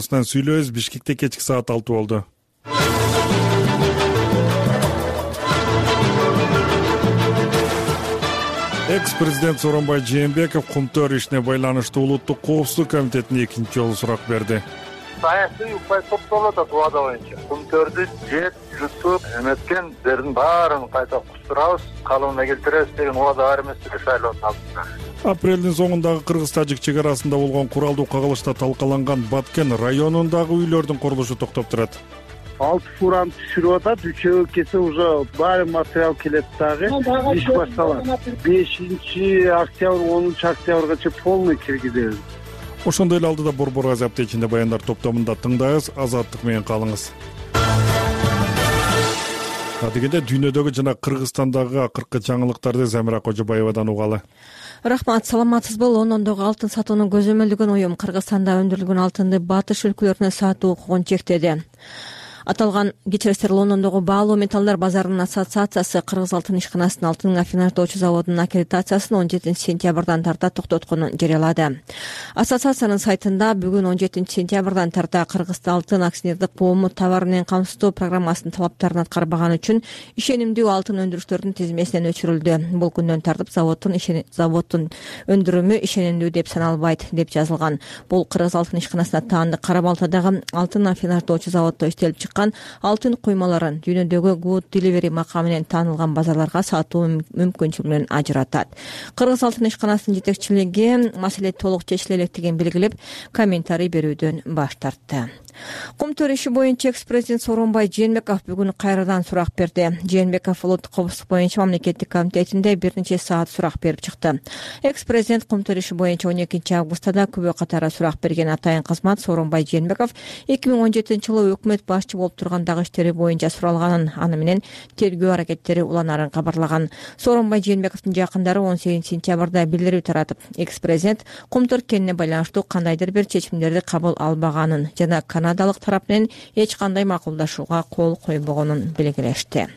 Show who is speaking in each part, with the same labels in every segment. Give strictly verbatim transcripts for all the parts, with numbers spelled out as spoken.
Speaker 1: Сүйлөбүз. Бишкекте кечки саат алты болду. Экс-президент Сооронбай Жээнбеков Кумтөр ишине байланыштуу Улуттук коопсуздук комитетине экинчи жолу сурак берди.
Speaker 2: Саясий укпай топтолот убада боюнча Кумтөрдү жеп, жутуп, эметкендердин баарын кайта кустурабыз, калыбына келтиребиз деген убада бар эмес беле шайлоонун алдында.
Speaker 1: Апрелдин соңундагы кыргыз-тажик чек арасында болгон куралдуу кагылышта талкаланган Баткен районундагы үйлөрдүн курулушу токтоп турат.
Speaker 3: Алты фураны түшүрүп атат, үчөө келсе уже баары материал келет дагы, иш башталат. бешинчи октябрь, онунчу октябрьгача полный киргизебиз.
Speaker 1: Ошондой эле алдыда Борбор газети ичинде баяндар топтомунда тыңдайбыз. Азаттык менен калыңыз. Адегенде дүйнөдөгү жана Кыргызстандагы акыркы жаңылыктарды Замира Кожобаевадан угалы.
Speaker 4: Рахмат, саламатсызбы? Лондондогу алтын сатууну көзөмөлдөгөн уюм Кыргызстанда өндүрүлгөн алтынды батыш өлкөлөрүнө сатуу укугун чектеди. Аталган кечиресиздер Лондондогу баалуу металлдар базарынын ассоциациясы Кыргыз алтын ишканасынын алтын аффинаждоочу заводунун аккредитациясын он жетинчи сентябрдан тарта токтотконун жарыялады. Ассоциациянын сайтында бүгүн он жетинчи сентябрдан тарта Кыргыз алтын акционердик коому товар менен камсыздоо программасынын талаптарын аткарбаганы үчүн ишенимдүү алтын өндүрүштөрдүн тизмесинен өчүрүлдү. Бул күндөн тартып заводдун заводдун өндүрүмү ишенимдүү деп саналбайт деп жазылган. Бул Кыргыз алтын ишканасына таандык Кара Балтадагы алтын аффинаждоочу заводдо иштелип чыккан алтын куймаларын дүйнөдөгү good delivery макамы менен таанылган базарларга сатуу мүмкүнчүлүгүнөн ажыратат. Кыргыз алтын ишканасынын жетекчилиги маселе толук чечиле электигин белгилеп, комментарий берүүдөн баш тартты. Кумтөр иши боюнча экс-президент Сооронбай Жээнбеков бүгүн кайрадан сурак берди. Жээнбеков улуттук коопсуздук боюнча мамлекеттик комитетинде бир нече саат сурак берип чыкты. Экс-президент Кумтөр иши боюнча он экинчи августта күбө катары сурак берген. Атайын кызмат Сооронбай Жээнбеков эки миң он жетинчи жылы өкмөт башчы болуп тургандагы иштери боюнча суралганын, аны менен тергөө аракеттери уланарын кабарлаган. Сооронбай Жээнбековдун жакындары он сегизинчи сентябрда билдирүү таратып, экс-президент Кумтөр кенне байланыштуу кандайдыр бир чечимдерди кабыл албаганын жана канадалык тарап менен эч кандай макулдашууга кол койбогонун белгилешти.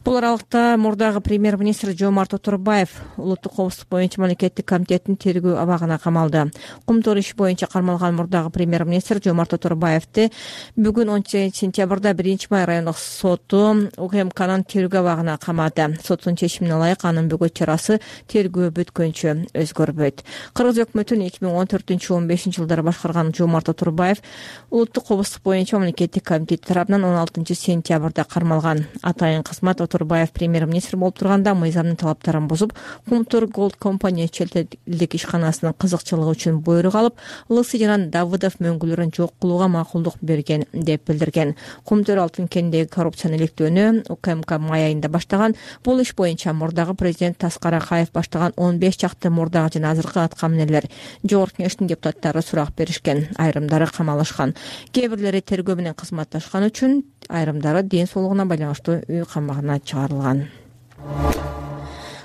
Speaker 4: Бул аралыкта мурдагы премьер-министр Жомарт Оторбаев улуттук коопсуздук боюнча мамлекеттик комитеттин тергөө абагына камалды. Кумтөр иши боюнча кармалган мурдагы премьер-министр Жомарт Оторбаевди бүгүн он сегизинчи сентябрда биринчи май райондук соту УКМКнын тергөө абагына камады. Соттун чечимине ылайык анын бөгөт чарасы тергөө бүткөнчө өзгөрбөйт. Кыргыз өкмөтүн эки миң он төртүнчү он бешинчи жылдары башкарган Жомарт Оторбаев улуттук коопсуздук боюнча мамлекеттик комитет тарабынан он алтынчы сентябрда кармалган. Атайын кызмат Оторбаев премьер-министр болуп турганда мыйзамдын талаптарын бузуп, Кумтөр Gold Company чет элдик ишканасынын кызыкчылыгы үчүн буйрук алып, Лысы жана Давыдов мөңгүлөрүн жок кылууга макулдук берген деп билдирген. Кумтөр алтын кенидеги коррупцияны иликтөөнү УКМК май айында баштаган. Бул иш боюнча мурдагы президент Таскар Акаев баштаган он беш чакты мурдагы жана азыркы аткаминерлер Жогорку Кеңештин депутаттары сурак беришкен. Айрымдары камалышкан. Кээ бирлери тергөө менен кызматташкан үчүн, айрымдары ден соолугуна байланыштуу үй камагына чыгарылган.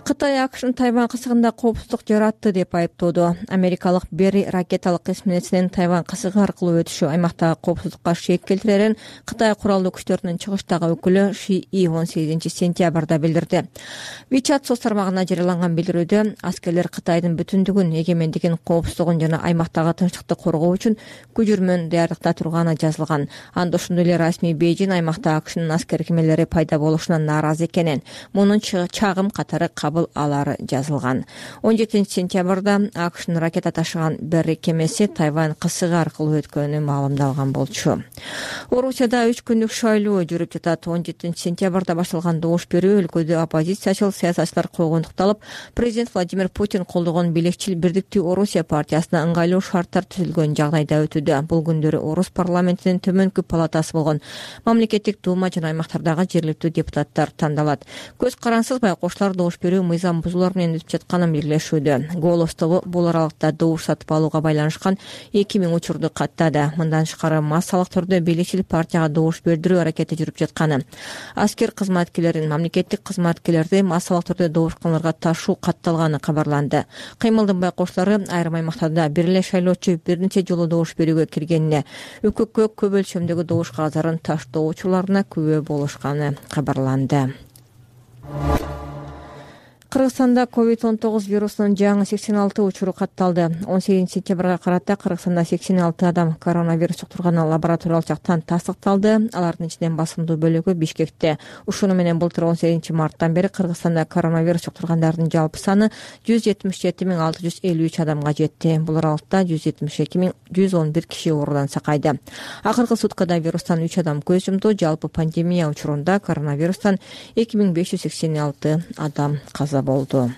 Speaker 4: Кытай АКШнын Тайвань кысыгында коопсуздук жаратты деп айыптоодо. Америкалык Берри ракеталык эсминецинин Тайвань кысыгы аркылуу өтүшү аймактагы коопсуздукка шек келтирерин Кытай куралдуу күчтөрүнүн чыгыштагы өкүлү Ши И он сегизинчи сентябрда билдирди. WeChat соц тармагына жарыяланган билдирүүдө аскерлер Кытайдын бүтүндүгүн, эгемендигин, коопсуздугун жана аймактагы тынчтыкты коргоо үчүн күжүрмөн даярдыкта турганы жазылган. Анда ошондой эле расмий Бейжин аймакта АКШнын аскер кемелери пайда болушуна нааразы экенин, мунун чагым катары алары жазылган. он жетинчи сентябрда АКШнын ракета ташыган Берри кемеси Тайвань кысыгы аркылуу өткөнү маалымдалган болчу. Орусияда үч күндүк шайлоо жүрүп жатат. он жетинчи сентябрда башталган добуш берүү өлкөдө оппозициячыл саясатчылар койгондукталып, президент Владимир Путин колдогон Билекчил Бирдиктүү Орусия партиясына ыңгайлуу шарттар түзүлгөн жагдайда өтүүдө. Бул күндөрү Орус парламентинин төмөнкү палатасы болгон мамлекеттик дума жана аймактардагы жергиликтүү депутаттар тандалат. Көз карансыз байкоштор добуш берүү мыйзам бузуулар менен өтүп жатканын белгилешүүдө. Голос тобу бул аралыкта добуш сатып алууга байланышкан эки миң учурду каттады. Мындан тышкары массалык түрдө билекчил партияга добуш бердирүү аракети жүрүп жатканы, аскер кызматкерлерин, мамлекеттик кызматкерлерди массалык түрдө добуш кыларга ташуу катталганы кабарланды. Кыймылдын байкоштору айрым аймактарда бир эле шайлоочу бир нече жолу добуш берүүгө киргенине, өкөккө көп өлчөмдөгү добуш кагаздарын таштоочуларына күбө болушканы кабарланды. Кыргызстанда ковид он тогуз вирусунун жаңы сексен алты учуру катталды. он сегизинчи сентябрга карата Кыргызстанда сексен алты адам коронавирус жуктурганы лабораториялык жактан тастыкталды. Алардын ичинен басымдуу бөлүгү Бишкекте. Ушуну менен былтыр он сегизинчи марттан бери Кыргызстанда коронавирус жуктургандардын жалпы саны жүз жетимиш жети миң алты жүз элүү үч адамга жетти. Бул аралыкта жүз жетимиш эки миң жүз он бир киши оорудан сакайды. Акыркы суткада вирустан үч адам көз жумду. Жалпы пандемия учурунда коронавирустан эки миң беш жүз сексен алты адам каза болду.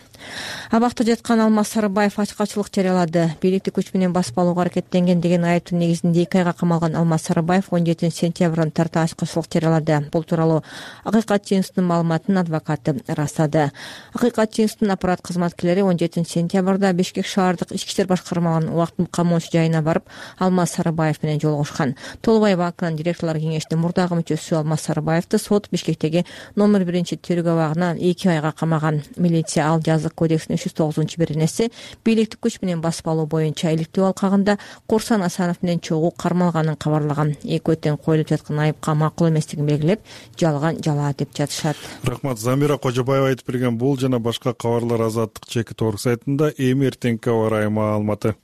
Speaker 4: Абакта жаткан Алмаз Сарыбаев ачкачылык жарыялады. Бийликти күч менен басып алууга аракеттенген деген айыптын негизинде эки айга камалган Алмаз Сарыбаев он жетинчи сентябрдан тарта ачкачылык жарыялады. Бул тууралуу Акыйкат жыныстын маалыматын адвокаты ырастады. Акыйкат жыныстын аппарат кызматкерлери он жетинчи сентябрда Бишкек шаардык ички иштер башкармаларынын убактылык камоочу жайына барып, Алмаз Сарыбаев менен жолугушкан. Толубай банкынын директорлор кеңешинин мурдагы мүчөсү Алмаз Сарыбаевди сот Бишкектеги номер биринчи тергөө абагына эки айга камаган. Милиция ал жазык кодекстин үч жүз тогузунчу беренеси бийликти күч менен басып алуу боюнча иликтөө алкагында Корсан Асанов менен чогуу кармалганын кабарлаган. Экөө тең коюлуп жаткан айыпка макул эместигин белгилеп, жалган жала деп жатышат.
Speaker 1: Рахмат. Замира Кожобаева айтып берген бул жана башка кабарлар Азаттык чекит орг сайтында. Эми эртеңки аба ырайы маалыматы.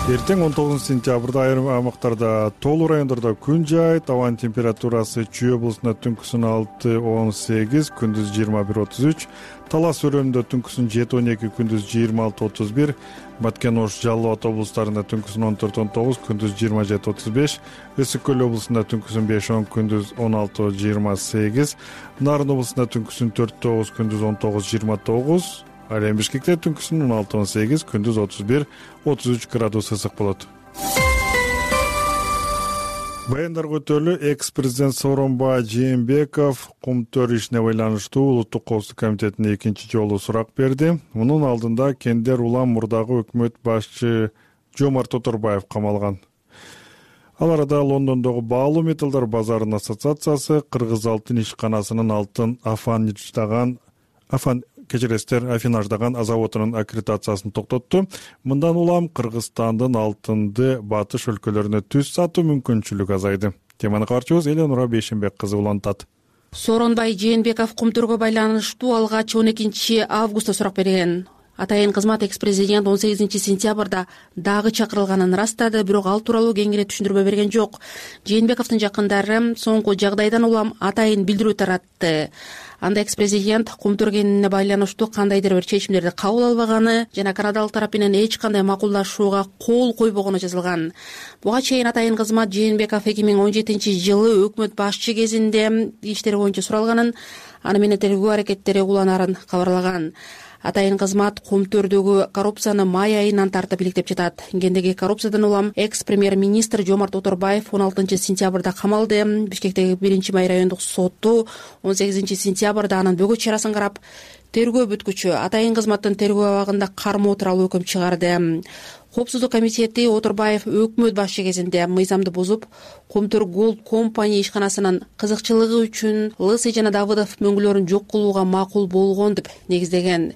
Speaker 1: Эртең он тогузунчу сентябрда айрым аймактарда тоолуу райондордо күн жаайт. Абанын температурасы Чүй облусунда түнкүсүн алты он сегиз, күндүз жыйырма бир отуз үч, Талас өрөөнүндө түнкүсүн жети он эки, күндүз жыйырма алты отуз бир, Баткен, Ош, Жалал Абад облустарында түнкүсүн он төрт он тогуз, күндүз жыйырма жети отуз беш, Өсүк көл облусунда түнкүсүн беш он, күндүз он алты жыйырма сегиз, Нарын облусунда түнкүсүн төрт тогуз, күндүз он тогуз жыйырма тогуз, ал эми Бишкекте түнкүсүн он алты он сегиз, күндүз отуз бир отуз үч градус ысык болот. Баяндарга өтөлү экс-президент Сооронбай Жээнбеков Кумтөр ишине байланыштуу Улуттук коопсуздук комитетине экинчи жолу сурак берди. Мунун алдында Кендер Улам мурдагы өкмөт башчы Жомарт Оторбаев камалган. Ал арада Лондондогу баалуу металлдар базарынын ассоциациясы Кыргыз алтын ишканасынын алтын афанждаган афан кечиресиздер афинаждаган заводунун аккредитациясын токтотту. Мындан улам Кыргызстандын алтынды батыш өлкөлөрүнө түз сатуу мүмкүнчүлүгү азайды. Теманы кабарчыбыз Эленура Бейшенбек кызы улантат.
Speaker 5: Сооронбай Жээнбеков Кумтөргө байланыштуу алгач он экинчи августта сурак берген. Атайын кызмат экс-президент он сегизинчи сентябрда дагы чакырылганын ырастады, бирок ал тууралуу кеңири түшүндүрмө берген жок. Жээнбековдун жакындары соңку жагдайдан улам атайын билдирүү таратты. Анда экс-президент Кумтөр кенинде байланыштуу кандайдыр бир чечимдерди кабыл албаганы жана канадалык тарап менен эч кандай макулдашууга кол койбогону жазылган. Буга чейин атайын кызмат Жээнбеков эки миң он жетинчи жылы өкмөт башчы кезинде иштери боюнча суралганын, аны менен тергөө аракеттери уланарын кабарлаган. Атайын кызмат Кумтөрдөгү коррупцияны май айынан тартып иликтеп жатат. Кендеги коррупциядан улам экс-премьер-министр Жомарт Оторбаев он алтынчы сентябрда камалды. Бишкектеги биринчи май райондук соту он сегизинчи сентябрда анын бөгөт чарасын карап, тергөө бүткүчү атайын кызматтын тергөө абагында кармоо тууралуу өкүм чыгарды. Коопсуздук комитети Оторбаев өкмөт башчы кезинде мыйзамды бузуп, Кумтөр Голд компания ишканасынын кызыкчылыгы үчүн Лысый жана Давыдов мөңгүлөрүн жок кылууга макул болгон деп негиздеген.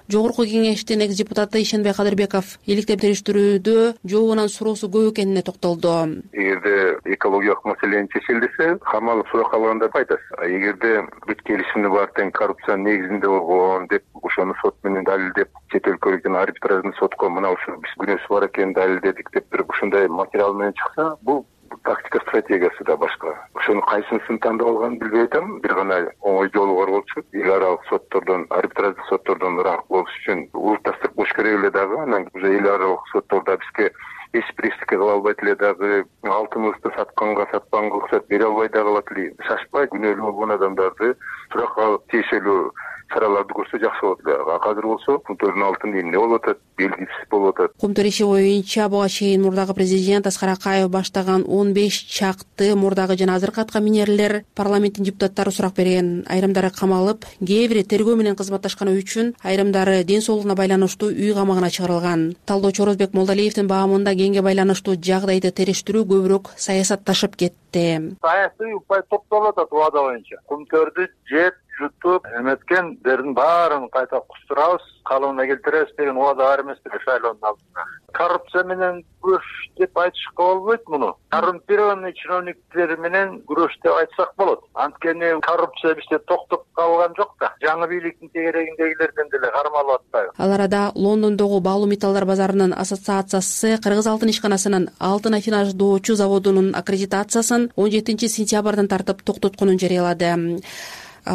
Speaker 5: Жогорку кеңештин экс-депутаты Ишенбай Кадырбеков иликтеп териштирүүдө жообунан суроосу көп экенине токтолду.
Speaker 2: Эгерде экологиялык маселени чечилсе, камал сурак алганда айтасыз. Эгерде бүт келишимди бар тең коррупциянын негизинде болгон деп, ошону сот менен далилдеп, чет өлкөлүк жана арбитражный сотко мына ушул биз күнөөсү бар экенин далилдедик деп бир ушундай материал менен чыкса, бул тактика стратегиясы да башка. Ошонун кайсынысын тандап алганын билбей атам. Бир гана оңой жолу бар болчу. Эл аралык соттордон, арбитраждык соттордон ыраак болуш үчүн улутташтырып коюш керек эле дагы. Анан уже эл аралык соттордо бизге эч бир эчтеке кыла албайт эле дагы. Алтыныбызды сатканга сатпаганга уруксат бере албай дагы калат эле. Шашпай күнөөлүү болгон адамдарды суракка алып тиешелүү чараларды көрсө жакшы болот эле. Азыр болсо Кумтөрдүн алтыны эмне болуп атат, белгисиз болуп атат.
Speaker 5: Кумтөр иши боюнча буга чейин мурдагы президент Аскар Акаев баштаган он беш чакты мурдагы жана азыркы атка минерлер парламенттин депутаттары сурак берген. Айрымдары камалып, кээ бири тергөө менен кызматташканы үчүн, айрымдары ден соолугуна байланыштуу үй камагына чыгарылган. Талдоочу Орозбек Молдалиевдин баамында кеңге байланыштуу жагдайды териштирүү көбүрөөк саясатташып кетти.
Speaker 2: Саясий упай топтолуп атат убада боюнча. Кумтөрдү жет жутуп эметкендердин баарын кайта кустурабыз, калыбына келтиребиз деген убада бар эмеспи шайлоонун алдында. Коррупция менен күрөш деп айтышка болбойт муну. Коррумпированный чиновниктер менен күрөш деп айтсак болот. Анткени коррупция бизде токтоп калган жок да. Жаңы бийликтин тегерегиндегилерден деле кармалып атпайбы.
Speaker 5: Ал арада Лондондогу баалуу металлдар базарынын ассоциациясы Кыргыз алтын ишканасынын алтын афинаждоочу заводунун аккредитациясын он жетинчи сентябрдан тартып токтотконун жарыялады.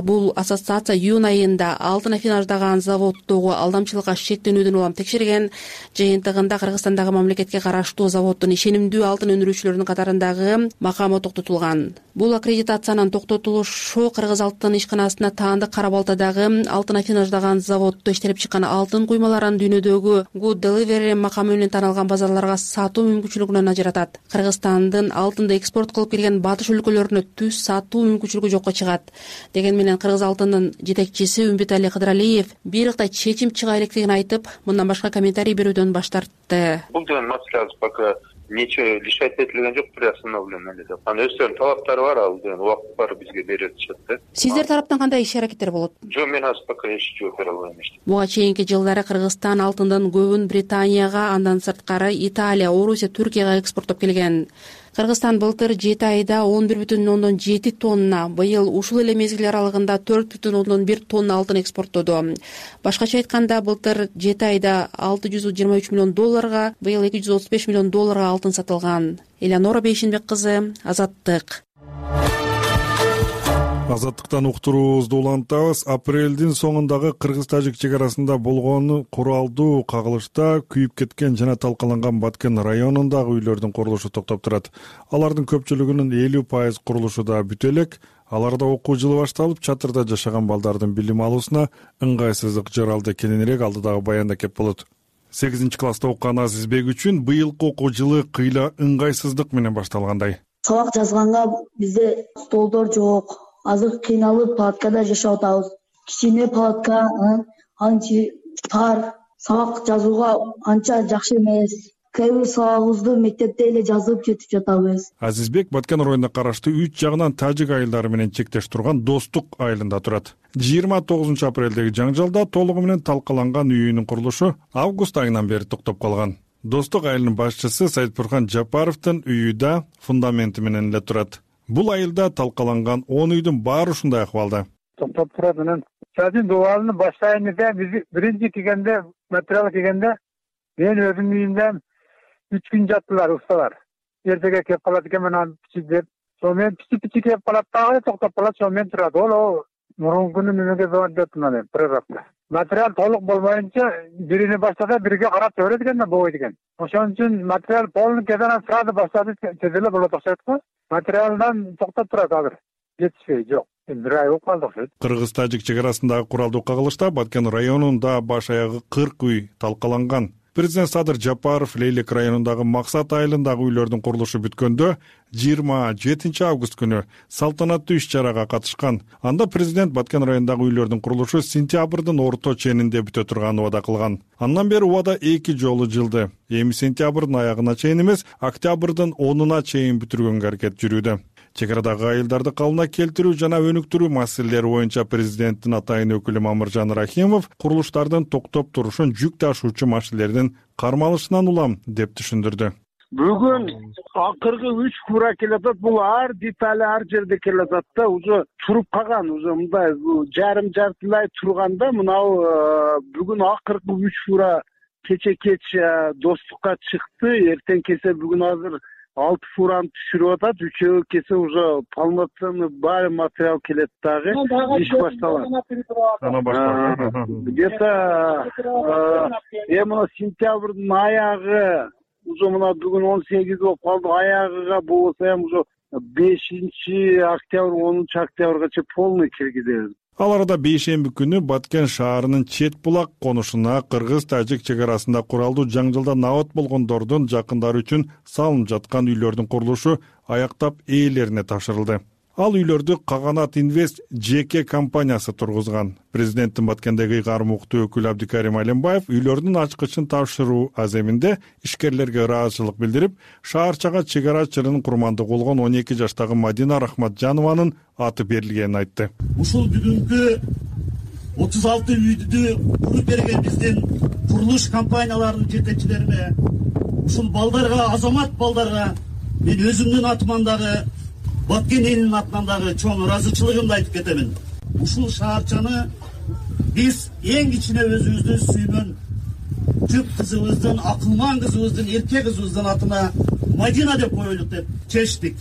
Speaker 5: Бул ассоциация июнь айында алтын афинаждаган заводдогу алдамчылыкка шектенүүдөн улам текшерген. Жыйынтыгында Кыргызстандагы мамлекетке караштуу заводдун ишенимдүү алтын өндүрүүчүлөрүнүн катарындагы макамы токтотулган. Бул аккредитациянын токтотулушу Кыргыз алтын ишканасына таандык Кара Балтадагы алтын афинаждаган заводдо иштелип чыккан алтын куймаларын дүйнөдөгү Good Delivery макамы менен таанылган базарларга сатуу мүмкүнчүлүгүнөн ажыратат. Кыргызстандын алтынды экспорт кылып келген батыш өлкөлөрүнө түз сатуу мүмкүнчүлүгү жокко чыгат деген менен Кыргыз алтынынын жетекчиси Үмбүтали Кыдыралиев бирыктай чечим чыга электерин айтып, мындан башка комментарий берүүдөн баш тартты.
Speaker 2: Бул деген маселе пока ничего решать этилген жок, приостановлено. Анын өздөрүнүн талаптары бар, ал деген убакыт бар бизге берет чыкты.
Speaker 5: Сиздер тараптан кандай иш аракеттер болот?
Speaker 2: Жок, мен азыр пока эч жооп бере албайм.
Speaker 5: Буга чейинки жылдары Кыргызстан алтындын көбүн Британияга, андан сырткары Италия, Орусия, Түркияга экспорттоп келген. Кыргызстан былтыр жети айда он бир бүтүн ондон жети тонна, быйыл ушул эле мезгил аралыгында төрт бүтүн ондон бир тонна алтын экспорттоду. Башкача айтканда, былтыр жети айда алты жүз жыйырма үч миллион долларга, быйыл эки жүз отуз беш миллион долларга алтын сатылган. Элянора Бейшенбек кызы, Азаттык.
Speaker 1: Азаттыктан уктуруубузду улантабыз. Апрелдин соңундагы кыргыз-тажик чек арасында болгон куралдуу кагылышта күйүп кеткен жана талкаланган Баткен районундагы үйлөрдүн курулушу токтоп турат. Алардын көпчүлүгүнүн элүү пайыз курулушу да бүтө элек. Аларда окуу жылы башталып, чатырда жашаган балдардын билим алуусуна ыңгайсыздык жаралды. Кененирээк алдыдагы баянда кеп болот. сегизинчи класста окуган Азизбек үчүн быйылкы окуу жылы кыйла ыңгайсыздык менен башталгандай.
Speaker 6: Сабак жазганга бизде столдор жок. Азыр кыйналып палаткада жашап атабыз. Кичине палатка, анча тар, сабак жазууга анча жакшы эмес. Кээ бир сабагыбызды мектепте эле жазып кетип жатабыз.
Speaker 1: Азизбек Баткен районуна караштуу үч жагынан тажик айылдары менен чектеш турган Достук айылында турат. жыйырма тогузунчу апрелдеги жаңжалда толугу менен талкаланган үйүнүн курулушу август айынан бери токтоп калган. Достук айылынын башчысы Сайтбурхан Жапаровдун үйү да фундаменти менен эле турат. Бул айылда талкаланган он үйдүн баары ушундай акыбалда.
Speaker 3: Токтоп турат анан садин дубалын баштайында биз биринчи келгенде, материал келгенде мен өзүм үйүмдө үч күн жаттылар усталар. Эртеге кеп калат экен анан пичип деп. Сонун пичи-пичи кеп калат дагы токтоп калат, сонун турат. Ол мурунку күнү мемеге бардым анан прорабка. Материал толук болбоюнча бирине баштаса бирге карап көрөт экен да болбойт экен. Ошон үчүн материал полный кезанан сразу баштады теделе болот окшойт го. Материалдан токтоп турат азыр. Жетишпей жок. Бир ай болуп калды окшойт.
Speaker 1: Кыргыз-тажик чек арасындагы куралдуу кагылышта Баткен районунда баш аягы кырк үй талкаланган. Президент Садыр Жапаров Лейлек районундагы Максат айылындагы үйлөрдүн курулушу бүткөндө жыйырма жетинчи август күнү салтанаттуу иш-чарага катышкан. Анда президент Баткен районундагы үйлөрдүн курулушу сентябрдын орто ченинде бүтө турганын убада кылган. Андан бери убада эки жолу жылды. Эми сентябрдын аягына чейин эмес, октябрдын онуна чейин бүтүргөнгө аракет жүрүүдө. Чек арадагы айылдарды калыбына келтирүү жана өнүктүрүү маселелери боюнча президенттин атайын өкүлү Мамыржан Рахимов курулуштардын токтоп турушун жүк ташуучу машиналердин кармалышынан улам деп түшүндүрдү.
Speaker 3: Бүгүн акыркы үч фура келатат, бул ар детали ар жерде келатат да, уже туруп калган, уже мындай жарым жартылай турганда мынау бүгүн акыркы үч фура кече кеч Достукка чыкты, эртең кесе бүгүн азыр алты фураны түшүрүп атат, үчөө кесе уже полноценный баары материал келет дагы, иш башталат.
Speaker 1: Ана башталат.
Speaker 3: Где-то эми сентябрдын аягы уже мына бүгүн он сегиз болуп калды, аягыга болсо эми уже бешинчи октябрь, онунчу октябрьгача полный киргизебиз.
Speaker 1: Ал арада бейшемби күнү Баткен шаарынын Чет булак конушуна кыргыз-тажик чек арасында куралдуу жаңжалда набат болгондордун жакындары үчүн салынып жаткан үйлөрдүн курулушу аяктап ээлерине тапшырылды. Ал үйлөрдү Каганат Инвест жеке компаниясы тургузган. Президенттин Баткендеги ыйгарым уктуу өкүлү Абдикарим Алимбаев үйлөрдүн ачкычын тапшыруу аземинде ишкерлерге ыраазычылык билдирип, шаарчага чек ара чырын курмандык болгон он эки жаштагы Мадина Рахматжанованын аты берилгенин айтты.
Speaker 7: Ушул бүгүнкү отуз алты үйдү куруп берген биздин курулуш компанияларынын жетекчилерине, ушул балдарга, азамат балдарга мен өзүмдүн атыман дагы, Баткен элинин атынан дагы чоң ыраазычылыгымды айтып кетемин. Ушул шаарчаны биз эң кичине өзүбүздүн сүймөн түп кызыбыздын, акылман кызыбыздын, эрке кызыбыздын атына Мадина деп коелук деп чечтик.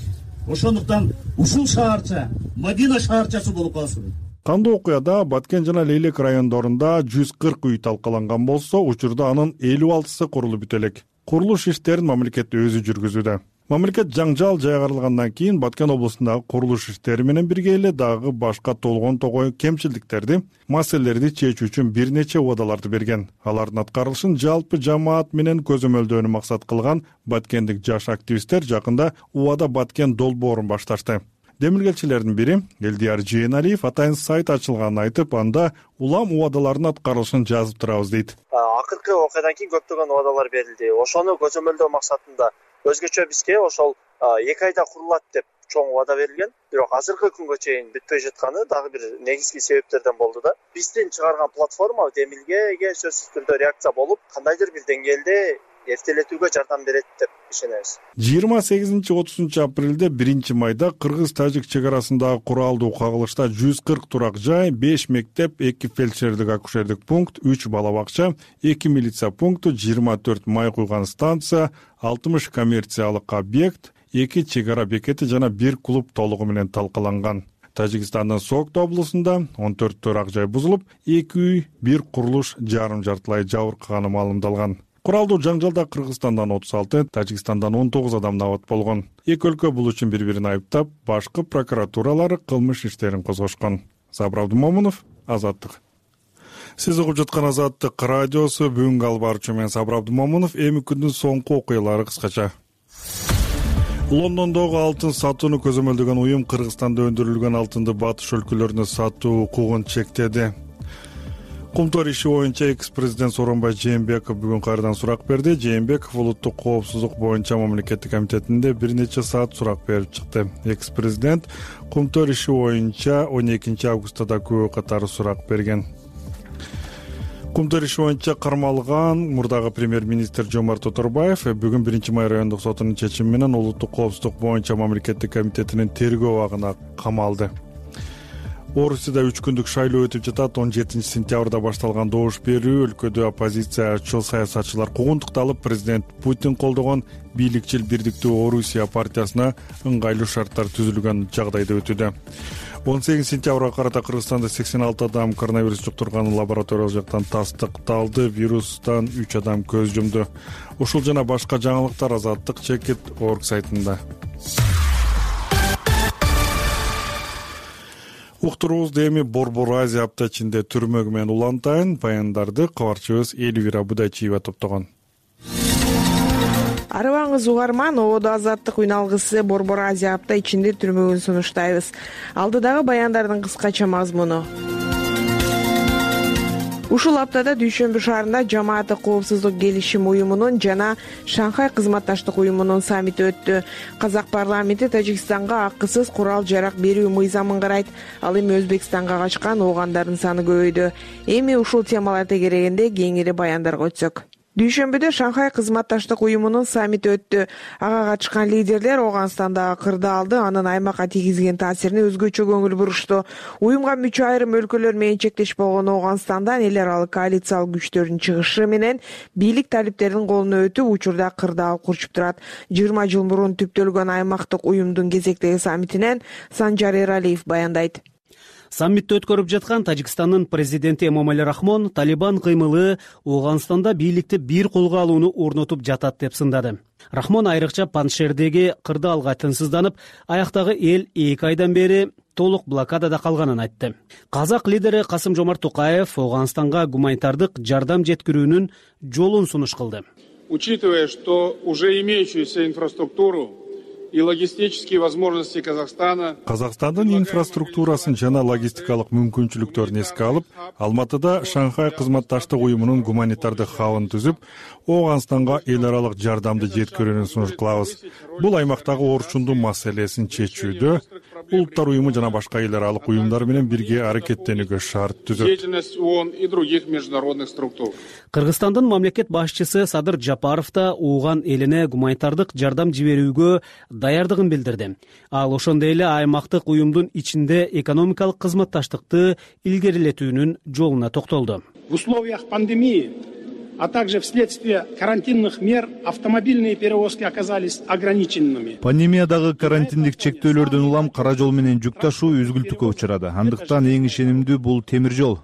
Speaker 7: Ошондуктан ушул шаарча Мадина шаарчасы болуп калсын.
Speaker 1: Кандуу окуяда Баткен жана Лейлек райондорунда жүз кырк үй талкаланган болсо, учурда анын элүү алтысы курулуп бүтө элек. Курулуш иштерин мамлекет өзү жүргүзүүдө. Мамлекет жаңжал жайгарылгандан кийин Баткен облусундагы курулуш иштери менен бирге эле дагы башка толгон тогой кемчилдиктерди, маселелерди чечүү үчүн бир нече убадаларды берген. Алардын аткарылышын жалпы жамаат менен көзөмөлдөөнү максат кылган баткендик жаш активисттер жакында убада Баткен долбоорун башташты. Демилгелчилердин бири Элдияр Жээналиев атайын сайт ачылганын айтып, анда улам убадалардын аткарылышын жазып турабыз дейт.
Speaker 8: Акыркы окуядан кийин көптөгөн убадалар берилди. Ошону көзөмөлдөө максатында өзгөчө бизге ошол эки айда курулат деп чоң убада берилген. Бирок азыркы күнгө чейин бүтпөй жатканы дагы бир негизги себептерден болду да. Биздин чыгарган платформа демилгеге сөзсүз түрдө реакция болуп, кандайдыр бир деңгээлде эртелетүүгө жардам берет деп ишенебиз.
Speaker 1: жыйырма сегизинчи отузунчу апрелде биринчи майда Кыргыз-Тажик чек арасындагы куралдуу кагылышта жүз кырк турак жай, беш мектеп, эки фельдшердик акушердик пункт, үч бала бакча, эки милиция пункту, жыйырма төрт май куйган станция, алтымыш коммерциялык объект, эки чек ара бекети жана бир клуб толугу менен талкаланган. Тажикстандын Сокто облусунда он төрт турак жай бузулуп, эки үй, бир курулуш жарым жартылай жабыркаганы маалымдалган. Куралдуу жаңжалда Кыргызстандан отуз алты, Тажикстандан он тогуз адам набат болгон. Эки өлкө бул үчүн бири-бирин айыптап, башкы прокуратуралары кылмыш иштерин козгошкон. Сабыр Абдумомунов, Азаттык. Сиз угуп жаткан Азаттык радиосу, бүгүнкү албарчы мен Сабыр Абдумомунов. Эми күндүн соңку окуялары кыскача. Лондондогу алтын сатууну көзөмөлдөгөн уюм Кыргызстанда өндүрүлгөн алтынды батыш өлкөлөрүнө сатуу укугун чектеди. Кумтор иши боюнча экс-президент Сооронбай Жээнбеков бүгүн кайрадан сурак берди. Жээнбеков улуттук коопсуздук боюнча мамлекеттик комитетинде бир нече саат сурак берип чыкты. Экс-президент Кумтор иши боюнча он экинчи августта да күбө катары сурак берген. Кумтор иши боюнча кармалган мурдагы премьер-министр Жомарт Оторбаев бүгүн биринчи май райондук сотунун чечими менен улуттук коопсуздук боюнча мамлекеттик комитетинин тергөө абагына камалды. Орусияда үч күндүк шайлоо өтүп жатат. он жетинчи сентябрда башталган добуш берүү өлкөдө оппозициячыл саясатчылар куугунтукталып, президент Путин колдогон бийликчил Бирдиктүү Орусия партиясына ыңгайлуу шарттар түзүлгөн жагдайда өтүүдө. он сегизинчи сентябрга карата Кыргызстанда сексен алты адам коронавирус жуктурганы лабораториялык жактан тастыкталды. Вирустан үч адам көз жумду. Ушул жана башка жаңылыктар Азаттык чекит орг сайтында. Уктуруубузду эми Борбор Азия апта ичинде түрмөгү менен улантайын. Баяндарды кабарчыбыз Элвира Будайчиева топтогон.
Speaker 9: Арыбаңыз угарман, ободо Азаттык үн алгысы Борбор Азия апта ичинде түрмөгүн сунуштайбыз. Алдыдагы баяндардын кыскача мазмуну. Ушул аптада Дүйшөмбү шаарында Жамааттык коопсуздук келишим уюмунун жана Шанхай кызматташтык уюмунун саммити өттү. Казак парламенти Тажикстанга акысыз курал жарак берүү мыйзамын карайт. Ал эми Өзбекстанга качкан оогандардын саны көбөйдү. Эми ушул темалар тегерегенде кеңири баяндарга өтсөк. Дүйшөмбүдө Шанхай кызматташтык уюмунун саммити өттү. Ага катышкан лидерлер Оогандагы кырдаалды, анын аймакка тийгизген таасирине өзгөчө көңүл бурушту. Уюмга мүчө айрым өлкөлөр менен чектеш болгон Ооганстандан эл аралык коалициялык күчтөрдүн чыгышы менен бийлик талиптердин колуна өтүп, учурда кырдаал курчуп турат. жыйырма жыл мурун түптөлгөн аймактык уюмдун кезектеги саммитинен Санжар Эралиев баяндайт.
Speaker 10: Саммитти өткөрүп жаткан Тажикстандын президенти Эмомали Рахмон Талибан кыймылы Ооганстанда бийликти бир колго алууну орнотуп жатат деп сындады. Рахмон айрыкча Паншердеги кырдаалга тынчсызданып, аяктагы эл эки айдан бери толук блокадада калганын айтты. Казак лидери Касым-Жомарт Токаев Ооганстанга гуманитардык жардам жеткирүүнүн жолун сунуш кылды.
Speaker 11: Учитывая, что уже имеющуюся инфраструктуру и логистические возможности Казахстана.
Speaker 1: Казакстандын инфраструктурасын жана логистикалык мүмкүнчүлүктөрүн эске алып, Алматыда Шанхай кызматташтык уюмунун гуманитардык хабын түзүп, Ооганстанга эл аралык жардамды жеткирүүнү сунуш кылабыз. Бул аймактагы орчундун маселесин чечүүдө улуттар уюму жана башка эл аралык уюмдар менен бирге аракеттенүүгө шарт түзөт.
Speaker 11: Деятельность ООН и других международных структур.
Speaker 10: Кыргызстандын мамлекет башчысы Садыр Жапаров да Ооган элине гуманитардык жардам жиберүүгө даярдыгын билдирди. Ал ошондой эле аймактык уюмдун ичинде экономикалык кызматташтыкты илгерилетүүнүн жолуна токтолду.
Speaker 12: В условиях пандемии, а также вследствие карантинных мер автомобильные перевозки оказались ограниченными.
Speaker 13: Пандемиядагы карантиндик чектөөлөрдөн улам кара жол менен жүк ташуу үзгүлтүккө учурады. Андыктан эң ишенимдүү бул темир жол.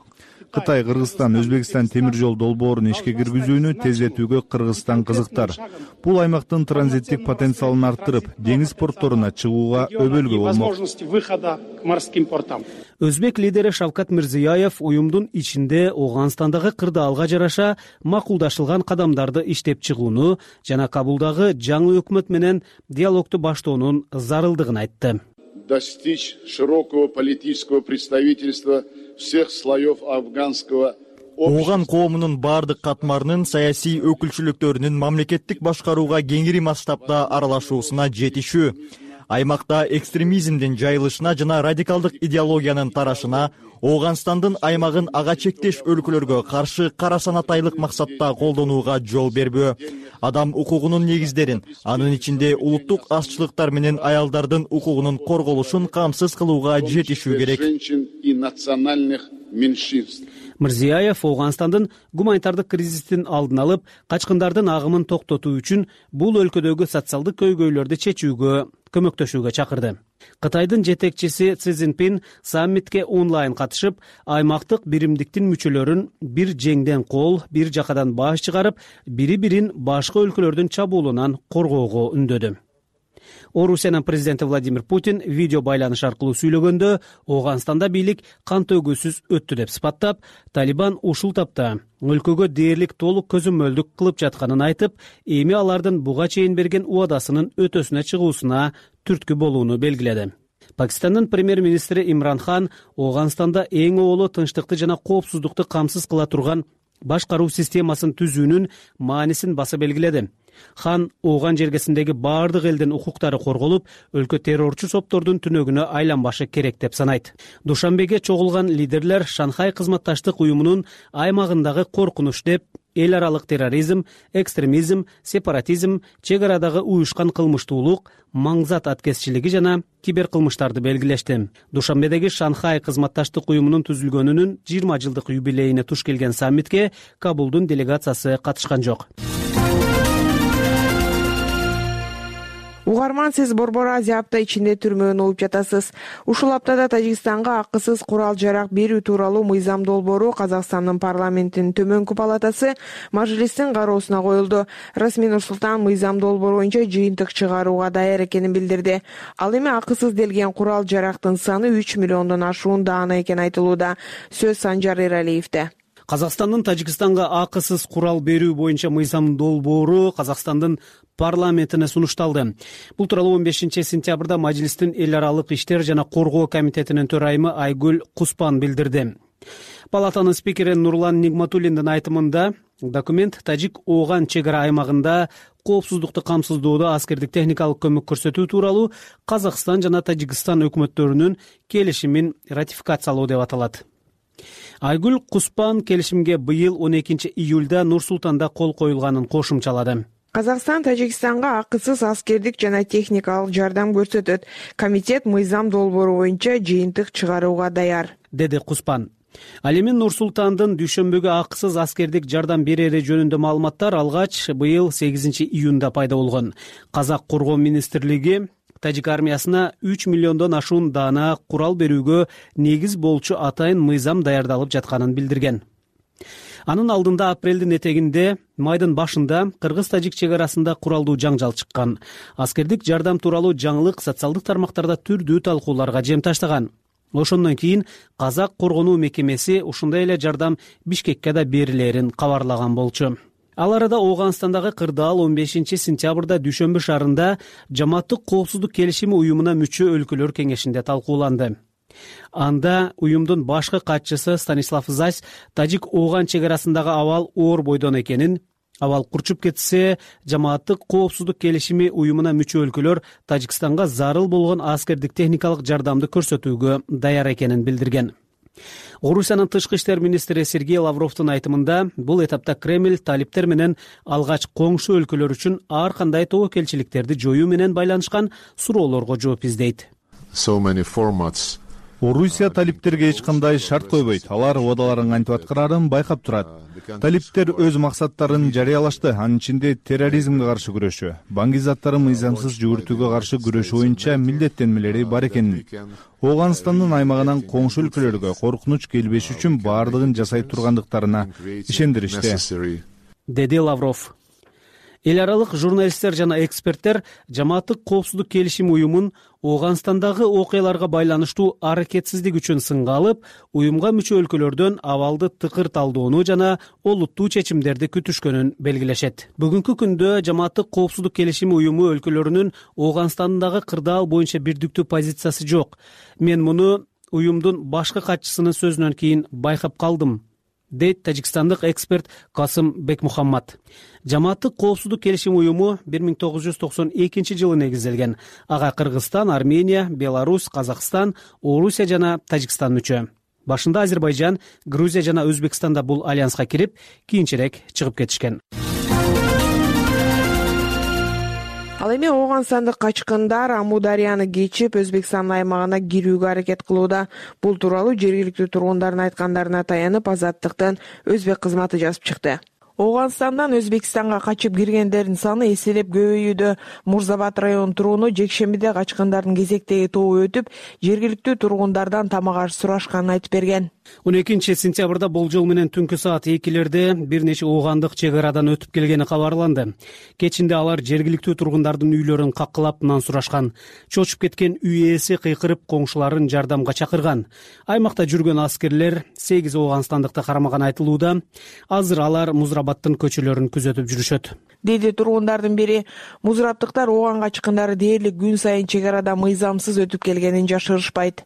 Speaker 13: Кытай, Кыргызстан, Өзбекстан темир жол долбоорун ишке киргизүүнү тездетүүгө Кыргызстан кызыктар. Бул аймактын транзиттик потенциалын арттырып, деңиз портторуна чыгууга өбөлгө болмок.
Speaker 12: Возможности выхода к морским портам.
Speaker 10: Өзбек лидери Шавкат Мирзияев уюмдун ичинде Ооганстандагы кырдаалга жараша макулдашылган кадамдарды иштеп чыгууну жана Кабулдагы жаңы өкмөт менен диалогду баштоонун зарылдыгын айтты.
Speaker 11: Достичь широкого политического представительства всех слоев афганского
Speaker 14: Ооган коомунун бардык катмарынын саясий өкүлчүлүктөрүнүн мамлекеттик башкарууга кеңири масштабда аралашуусуна жетишүү, аймакта экстремизмдин жайылышына жана радикалдык идеологиянын тарашына, Ооганстандын аймагын ага чектеш өлкөлөргө каршы карасанатайлык максатта колдонууга жол бербөө, адам укугунун негиздерин, анын ичинде улуттук азчылыктар менен аялдардын укугунун корголушун камсыз кылууга жетишүү керек.
Speaker 10: Мирзияев Ооганстандын гуманитардык кризистин алдын алып, качкындардын агымын токтотуу үчүн бул өлкөдөгү социалдык көйгөйлөрдү чечүүгө көмөктөшүүгө чакырды. Кытайдын жетекчиси Си Цзиньпин саммитке онлайн катышып, аймактык биримдиктин мүчөлөрүн бир жеңден кол, бир жакадан баш чыгарып, бири-бирин башка өлкөлөрдүн чабуулунан коргоого үндөдү. Орусиянын президенти Владимир Путин видео байланыш аркылуу сүйлөгөндө Ооганстанда бийлик кан төгүүсүз өттү деп сыпаттап, Талибан ушул тапта өлкөгө дээрлик толук көзөмөлдүк кылып жатканын айтып, эми алардын буга чейин берген убадасынын өтөсүнө чыгуусуна түрткү болууну белгиледи. Пакистандын премьер-министри Имран Хан Ооганстанда эң оолу тынчтыкты жана коопсуздукту камсыз кыла турган башкаруу системасын түзүүнүн маанисин баса белгиледи. Хан Ооган жергесиндеги бардык элдин укуктары корголуп, өлкө террорчу соптордун түнөгүнө айланбашы керек деп санайт. Душанбеге чогулган лидерлер Шанхай кызматташтык уюмунун аймагындагы коркунуч деп эл аралык терроризм, экстремизм, сепаратизм, чек арадагы уюшкан кылмыштуулук, маңзат аткезчилиги жана киберкылмыштарды белгилешти. Душанбедеги Шанхай кызматташтык уюмунун түзүлгөнүнүн жыйырма жылдык юбилейине туш келген саммитке Кабулдун делегациясы катышкан жок.
Speaker 9: Угарман, сиз Борбор Азия апта ичинде түрмөгөн угуп жатасыз. Ушул аптада Тажикстанга акысыз курал жарак берүү тууралуу мыйзам долбоору Казакстандын парламентинин төмөнкү палатасы Мажлистин кароосуна коюлду. Расмий Нурсултан мыйзам долбоору боюнча жыйынтык чыгарууга даяр экенин билдирди. Ал эми акысыз делген курал жарактын саны үч миллиондон ашуундаана экени айтылууда. Сөз Санжар Эралиевде.
Speaker 10: Казакстандын Тажикстанга акысыз курал берүү боюнча мыйзам долбоору Казакстандын парламентине сунушталды. Бул тууралуу он бешинчи сентябрда Мажлистин эл аралык иштер жана коргоо комитетинин төрайымы Айгүл Куспан билдирди. Палатанын спикери Нурлан Нигматуллиндин айтымында, документ Тажик-Ооган чек ара аймагында коопсуздукту камсыздоодо аскердик техникалык көмөк көрсөтүү тууралуу Казакстан жана Тажикстан өкмөттөрүнүн келишимин ратификациялоо деп аталат. Айгүл Куспан келишимге быйыл он экинчи июлда Нур-Султанда кол коюлганын кошумчалады.
Speaker 9: Казакстан Тажикстанга акысыз аскердик жана техникалык жардам көрсөтөт. Комитет мыйзам долбоору боюнча жыйынтык чыгарууга даяр,
Speaker 10: деди Куспан. Ал эми Нур-Султандын дүйшөмбүгө акысыз аскердик жардам берери жөнүндө маалыматтар алгач быйыл сегизинчи июнда пайда болгон. Казак коргоо министрлиги Тажик армиясына үч миллиондон ашуун даана курал берүүгө негиз болчу атайын мыйзам даярдалып жатканын билдирген. Анын алдында апрелдин этегинде майдын башында Кыргыз-Тажик чек арасында куралдуу жаңжал чыккан. Аскердик жардам тууралуу жаңылык социалдык тармактарда түрдүү талкууларга жем таштаган. Ошондон кийин Казак коргонуу мекемеси ушундай эле жардам Бишкекке да берилерин кабарлаган болчу. Ал арада Ооганстандагы кырдаал он бешинчи сентябрда Дүйшөмбү шаарында Жамааттык коопсуздук келишими уюмуна мүчө өлкөлөр кеңешинде талкууланды. Анда уюмдун башкы катчысы Станислав Зась Тажик-Ооган чек арасындагы абал оор бойдон экенин, абал курчуп кетсе, Жамааттык коопсуздук келишими уюмуна мүчө өлкөлөр Тажикстанга зарыл болгон аскердик техникалык жардамды көрсөтүүгө даяр экенин билдирген. Орусиянын тышкы иштер министри Сергей Лавровдун айтымында, бул этапта Кремль талиптер менен алгач коңшу өлкөлөр үчүн ар кандай тобокелчиликтерди жоюу менен байланышкан суроолорго жооп издейт.
Speaker 13: Орусия талиптерге эч кандай шарт койбойт. Алар убадаларын кантип аткарарын байкап турат. Талиптер өз максаттарын жарыялашты. Анын ичинде терроризмге каршы күрөшүү, банк заттарын мыйзамсыз жүгүртүүгө каршы күрөшүү боюнча милдеттенмелери бар экенин, Ооганстандын аймагынан коңшу өлкөлөргө коркунуч келбеш үчүн баардыгын жасай тургандыктарына ишендиришти,
Speaker 10: деди Лавров. Эл аралык журналисттер жана эксперттер Жамааттык коопсуздук келишими уюмун Ооганстандагы окуяларга байланыштуу аракетсиздик үчүн сынга алып, уюмга мүчө өлкөлөрдөн абалды тыкыр талдоону жана олуттуу чечимдерди күтүшкөнүн белгилешет. Бүгүнкү күндө Жамааттык коопсуздук келишими уюму өлкөлөрүнүн Ооганстандагы кырдаал боюнча бирдиктүү позициясы жок. Мен муну уюмдун башкы катчысынын сөзүнөн кийин байкап калдым, дейт тажикстандык эксперт Касым Бекмухаммад. Жамааттык коопсуздук келишим уюму бир миң тогуз жүз токсон экинчи жылы негизделген. Ага Кыргызстан, Армения, Беларусь, Казакстан, Орусия жана Тажикстан мүчө. Башында Азербайжан, Грузия жана Өзбекстанда бул альянска кирип, кийинчерээк чыгып кетишкен.
Speaker 9: Ал эми Ооганстандык качкындар Амударияны кечип Өзбекстан аймагына кирүүгө аракет кылууда. Бул тууралуу жергиликтүү тургундардын айткандарына таянып Азаттыктын өзбек кызматы жазып чыкты. Ооганстандан Өзбекстанга качып киргендердин саны эселеп көбөйүүдө. Мурзабад районунун тургуну жекшембиде качкындардын кезектеги тобу өтүп, жергиликтүү тургундардан тамак аш сурашканын айтып берген.
Speaker 10: он экинчи сентябрда болжол менен түнкү саат экилерде бир нече оогандык чек арадан өтүп келгени кабарланды. Кечинде алар жергиликтүү тургундардын үйлөрүн каккылап нан сурашкан. Чочуп кеткен үй ээси кыйкырып коңшуларын жардамга чакырган. Аймакта жүргөн аскерлер сегиз оогандыктыкты кармаган айтылууда. Азыр алар Музрабадтын көчөлөрүн күзөтүп жүрүшөт,
Speaker 9: деди тургундардын бири. Музраптыктар Ооган качкындары дээрлик күн сайын чек арада мыйзамсыз өтүп келгенин жашырышпайт.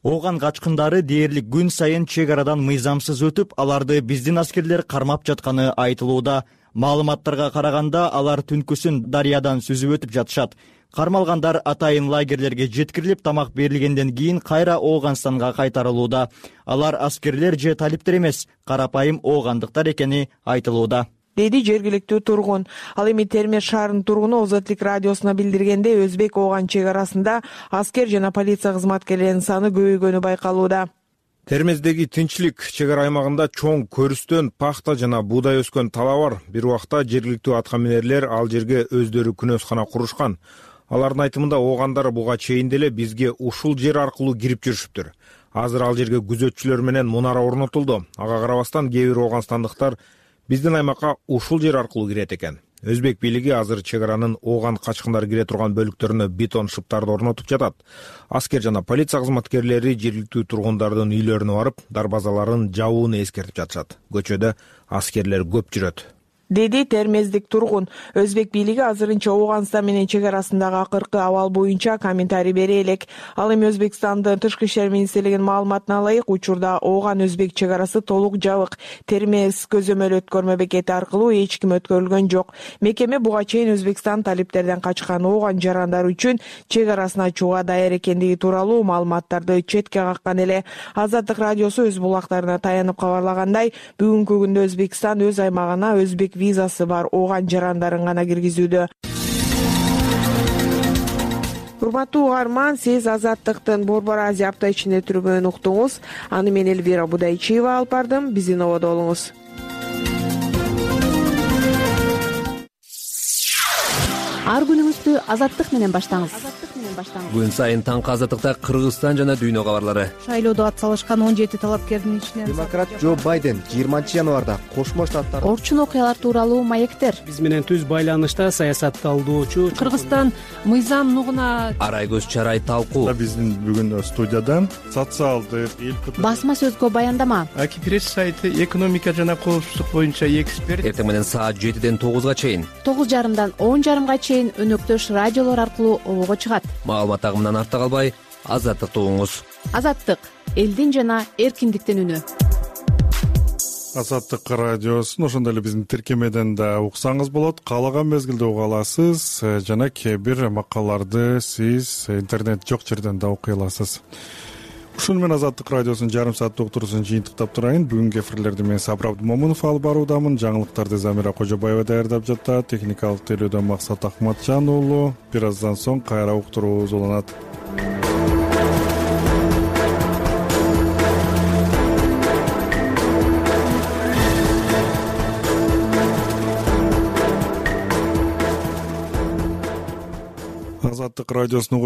Speaker 14: Ооган качкындары дээрлик күн сайын чек арадан мыйзамсыз өтүп, аларды биздин аскерлер кармап жатканы айтылууда. Маалыматтарга караганда, алар түнкүсүн дарыядан сүзүп өтүп жатышат. Кармалгандар атайын лагерлерге жеткирилип, тамак берилгенден кийин кайра Ооганстанга кайтарылууда. Алар аскерлер же талиптер эмес, карапайым оогандыктар экени айтылууда,
Speaker 9: деди жергиликтүү тургун. Ал эми Термез шаарынын тургуну Озотлук радиосуна билдиргенде, Өзбек-Ооган чек арасында аскер жана полиция кызматкерлеринин саны көбөйгөнү байкалууда.
Speaker 15: Термездеги тынччылык чек ара аймагында чоң көрүстөн пахта жана буудай өскөн тала бар. Бир убакта жергиликтүү аткаминерлер ал жерге өздөрү күнөөскана курушкан. Алардын айтымында оогандар буга чейин деле бизге ушул жер аркылуу кирип жүрүшүптүр. Азыр ал жерге күзөтчүлөр менен мунара орнотулду. Ага карабастан кээ бир ооганстандыктар биздин аймакка ушул жер аркылуу кирет экен. Өзбек бийлиги азыр чек аранын Ооган качкындар кире турган бөлүктөрүнө бетон шыптарды орнотуп жатат. Аскер жана полиция кызматкерлери жергиликтүү тургундардын үйлөрүнө барып, дарбазаларын жабууну эскертип жатышат. Көчөдө аскерлер көп жүрөт,
Speaker 9: деди термездик тургун. Өзбек бийлиги азырынча Ооганстан менен чек арасындагы акыркы абал боюнча комментарий бере элек. Ал эми Өзбекстандын тышкы иштер министрлигинин маалыматына ылайык, учурда Ооган өзбек чек арасы толук жабык. Термез көзөмөл өткөрмө бекети аркылуу эч ким өткөрүлгөн жок. Мекеме буга чейин Өзбекстан талиптерден качкан Ооган жарандары үчүн чек арасын ачууга даяр экендиги тууралуу маалыматтарды четке каккан эле. Азаттык радиосу өз булактарына таянып кабарлагандай, бүгүнкү күндө Өзбекстан өз аймагына өзбек визасы бар Ооган жарандарын гана киргизүүдө. Урматтуу угарман, сиз Азаттыктын Борбор Азия апта ичинде түргөнүн уктуңуз. Аны мен Элвира Будайчиева алып бардым. Биздин ободо болуңуз.
Speaker 16: Ар күнүңүздү Азаттык менен баштаңыз.
Speaker 9: менен баштанган.
Speaker 16: Күн сайын таңкы азаттыкта Кыргызстан жана дүйнө кабарлары.
Speaker 17: Шайлоодо ат салышкан он жети талапкердин ичинен
Speaker 18: демократ Джо Байден жыйырманчы январда Кошмо Штаттар
Speaker 9: орчун окуялар тууралуу маектер.
Speaker 10: Биз менен түз байланышта саясат талдоочу
Speaker 17: Кыргызстан мыйзам нугуна
Speaker 16: арай көз чарай талкуу.
Speaker 1: Биздин бүгүн студиядан социалдык эл
Speaker 9: басма сөзгө баяндама.
Speaker 19: Аки пресс сайты экономика жана коопсуздук боюнча эксперт.
Speaker 16: Эртең менен саат жетиден тогузга чейин,
Speaker 9: тогуз жарымдан он жарымга чейин өнөктөш радиолор аркылуу обого чыгат.
Speaker 16: Маалымат агымынан артта калбай, азаттыкты угуңуз.
Speaker 9: Азаттык элдин жана эркиндиктин үнү.
Speaker 1: Азаттык радиосун ошондой эле биздин тиркемеден да уксаңыз болот. Каалаган мезгилде уга аласыз жана кээ бир макалаларды сиз интернет жок жерден да окуй аласыз. Ушуну менен Азаттык радиосунун жарым сааттык уктуруусун жыйынтыктап турайын. Бүгүнкү эфирлерди мен Сабыр Абдымомунов алып баруудамын. Жаңылыктарды Замира Кожобаева даярдап жатат. Техникалык тейлөөдөн Максат Акматжан уулу. Бир аздан соң кайра уктуруубуз уланат. Азаттык радиосун угуп